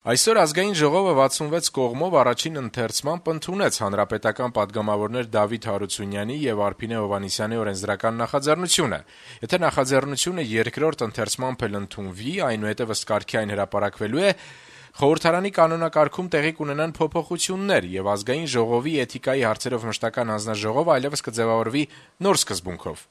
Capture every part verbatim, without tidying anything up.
Այսօր Ազգային ժողովը վաթսունվեց կողմով առաջին ընթերցմամբ ընդունեց հանրապետական պատգամավորներ Դավիթ Հարությունյանի եւ Արփինե Հովհաննիսյանի օրենսդրական նախաձեռնությունը։ Եթե նախաձեռնությունը երկրորդ ընթերցմամբ էլ ընդունվի, այնուհետեւ ըստ կարգի այն հրապարակվելու է, խորհրդարանի կանոնակարգում տեղի կունենան փոփոխություններ եւ Ազգային ժողովի էթիկայի հարցերով մշտական հանձնաժողովը այլեւս կձեւավորվի նոր սկզբունքով։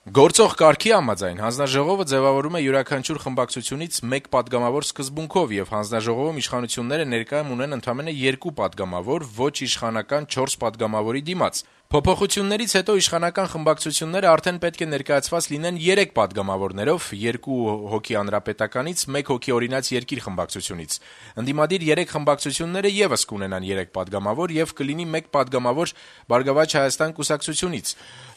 Գործող կարգի համաձայն հանձնաժողովը ձևավորում է յուրաքանչյուր խմբակցությունից մեկ պատգամավոր սկզբունքով եւ հանձնաժողովում իշխանությունները ներկայում ունեն ընդամենը երկու պատգամավոր, ոչ իշխանական չորս պատգամավորի դիմաց։ Փոփոխություններից հետո իշխանական խմբակցությունները արդեն պետք է ներկայացված լինեն երեք պատգամավորներով, երկու հոգի հանրապետականից, մեկ հոգի օրինաց երկիր խմբակցությունից։ Ընդդիմադիր երեք խմբակցությունները եւս կունենան երեք պատգամավոր եւ կլինի մեկ պատգամավոր Բարգավաճ Հայաստան կուսակցությունից։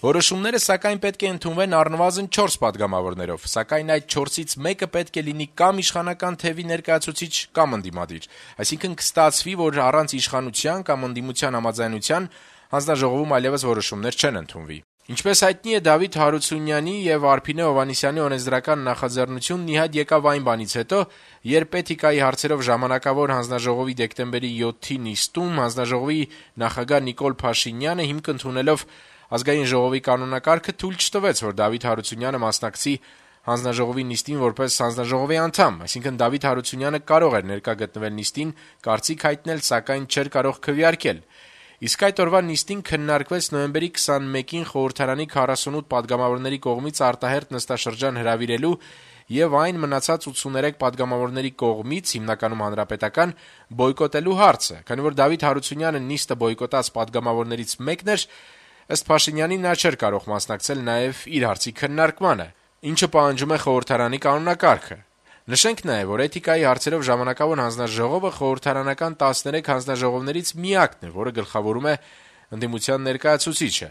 Որոշումները սակայն պետք է ընդունվեն առնվազն չորս պատգամավորներով, սակայն այդ չորսից մեկը պետք է լինի կամ իշխանական թևի ներկայացուցիչ կամ ընդդիմադիր։ Այսինքն կստացվի, որ առանց իշխանության կամ ընդդիմության համաձայնության հանձնաժողովում այլեւս որոշումներ չեն ընդունվի։ Ինչպես հայտնի է, Դավիթ Հարությունյանի եւ Արփինե Հովհաննիսյանի օրենսդրական նախաձեռնությունն ի հայտ եկավ այն բանից հետո, երբ էթիկայի հարցերով ժամանակավոր հանձնաժողովի դեկտեմբերի յոթի նիստում հանձնաժողովի նախագահ Նիկոլ Փաշինյանը հիմք ընդունելով Ազգային ժողովի կանոնակարգը թույլ չտվեց, որ Դավիթ Հարությունյանը մասնակցի հանձնաժողովի նիստին որպես հանձնաժողովի անդամ, այսինքն Դավիթ Հարությունյանը կարող էր ներկա գտնվել նիստին, կարծիք հայտնել, սակայն չէր կարող քվեարկել։ Իսկ այդ օրվա նիստին քննարկվեց նոյեմբերի քսանմեկին խորհրդարանի քառասունութ պատգամավորների կողմից արտահերթ նստաշրջան հրավիրելու եւ այն մնացած ութսուներեք պատգամավորների կողմից, հիմնականում հանրապետական, բոյկոտելու հարցը, քանի որ Դավիթ Հարությունյանը նիստը բոյկոտած պատգամավորներից մեկն էր, ըստ Փաշինյանի նա չէր կարող մասնակցել նաեւ իր հարցի քննարկմանը, ինչը պահանջում է խորհրդարանի կանոնակարգը։ Նշենք նաեւ, որ էթիկայի հարցերով ժամանակավոր հանձնաժողովը խորհրդարանական տասներեք հանձնաժողովներից միակն է, որը գլխավորում է ընդդիմության ներկայացուցիչը։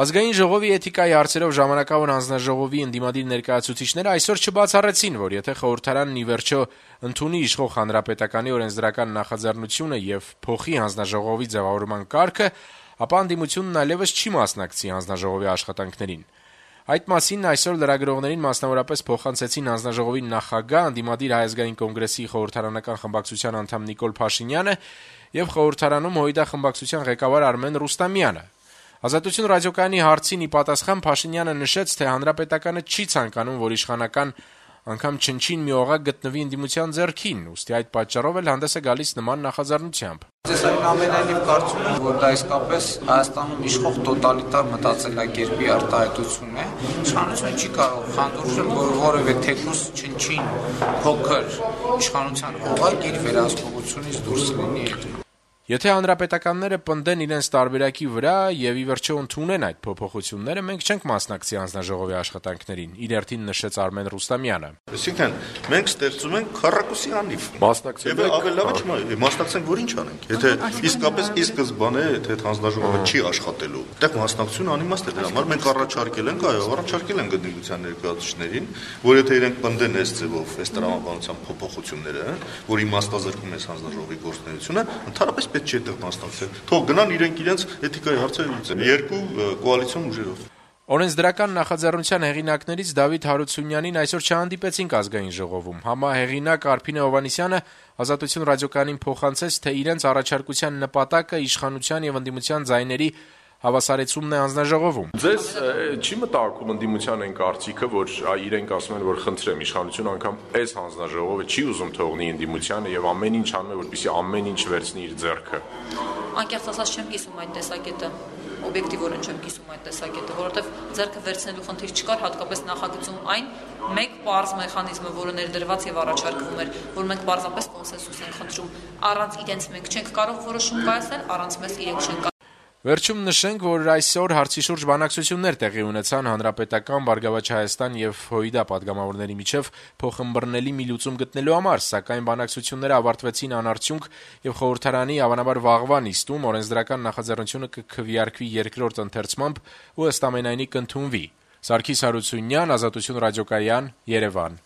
Ազգային ժողովի էթիկայի հարցերով ժամանակավոր հանձնաժողովի ընդդիմադիր ներկայացուցիչները այսօր չբացառեցին, որ եթե խորհրդարանն ի վերջո ընդունի իշխող հանրապետականի օրենսդրական նախաձեռնությունը եւ փոխի հանձնաժողովի ձևավորման կարգը, ապա ընդդիմությունն այլեւս չի մասնակցի հանձնաժողովի աշխատանքներին։ Այդ մասին այսօր լրագրողներին մասնավորապես փոխանցեցին հանձնաժողովի նախագահ, ընդդիմադիր Հայ ազգային կոնգրեսի խորհրդարանական խմբակցության անդամ Նիկոլ Փաշինյանը եւ խորհրդարանում ՀՅԴ խմբակցության ղեկավար Արմեն Ռուստամյանը։ Ազատություն ռադիոկայանի հարցին ի պատասխան Փաշինյանը նշեց, թե հանրապետականը չի ցանկանում, որ իշխանական անգամ չնչին մի օղակ գտնվի ընդդիմության ձեռքին, ուստի այդ պատճառով էլ հանդես է գալիս նման նախաձեռնությամբ։ Ես այնուամենայնիվ կարծում եմ, որ դա իսկապես Հայաստանում իշխող տոտալիտար մտածելակերպի արտահայտություն է։ Իշխանությունը չի կարող խանդուրժել, որ որևէ թեկուզ չնչին փոքր իշխանության օղակ իր վերահսկողությունից դուրս լինի։ Եթե հանրապետականները պնդեն իրենց տարբերակի վրա եւ ի վերջո ընդունեն այդ փոփոխությունները, մենք չենք մասնակցի հանձնաժողովի աշխատանքներին, իր երթին նշեց Արմեն Ռուստամյանը։ Այսինքն մենք ստեղծում ենք քառակուսի անիվ։ Մասնակցել եք, ավելի լավ չէ, մասնակցենք, որ ինչ անենք։ Եթե իսկապես ի սկզբանե թե հանձնաժողովը չի աշխատելու, այդտեղ մասնակցությունը անիմաստ է, դրա համար մենք առաջարկել ենք, այո, առաջարկել ենք ընդդիմության ներկայացուցիչներին, որ եթե իրենք պնդեն այս ձևով, այս տրամաբանության փոփոխությունները, որ իմաստազրկում է հանձնաժողովի գործունեությունը, ընդհանրապես պետք չէ այդտեղ մասնակցել։ Թող գնան իրենք իրենց էթիկայի հարցերը լուծեն երկու կոալիցիոն ուժերով։ Օրենսդրական նախաձեռնության հեղինակներից Դավիթ Հարությունյանին այսօր չհանդիպեցինք Ազգային ժողովում։ Համահեղինակ Արփինե Հովհաննիսյանը Ազատություն ռադիոկայանին փոխանցեց, թե իրենց առաջարկության նպատակը իշխանության եւ ընդդիմության ձայների հավասարեցումն է հանձնաժողովում։ Ձեզ չի մտահոգում ընդդիմության այն կարծիքը, որ իրենք ասում են, որ խնդրեմ իշխանությունը անգամ այս հանձնաժողովը չի ուզում թողնի ընդդիմությանը եւ ամեն ինչ անում է, որպեսզի ամեն ինչ վերցնի իր ձեռքը։ Անկեղծ ասած չեմ կիսում այդ տեսակետը, օբյեկտիվորեն չեմ կիսում այդ տեսակետը, որովհետեւ ձեռքը վերցնելու խնդիր չկար, հատկապես նախագծում այն մեկ պարզ մեխանիզմը, որը ներդրված եւ առաջարկվում էր, որ մենք պարզապես կոնսենսուս ենք խնդրում, առանց իրենց մենք չենք կարող որոշում կայացնել, առանց մեզ իրենք չեն։ Վերջում նշենք, որ այսօր հարցի շուրջ բանակցություններ տեղի ունեցան հանրապետական, Բարգավաճ Հայաստան եւ ՀՅԴ պատգամավորների միջև փոխըմբռնելի մի լուծում գտնելու համար, սակայն բանակցությունները ավարտվեցին անարդյունք եւ խորհրդարանի հավանաբար վաղվա նիստում օրենսդրական նախաձեռնությունը կքվեարկվի երկրորդ ընթերցմամբ ու ըստ ամենայնի կընդունվի։ Սարգիս Հարությունյան, Ազատություն ռադիոկայան, Երևան։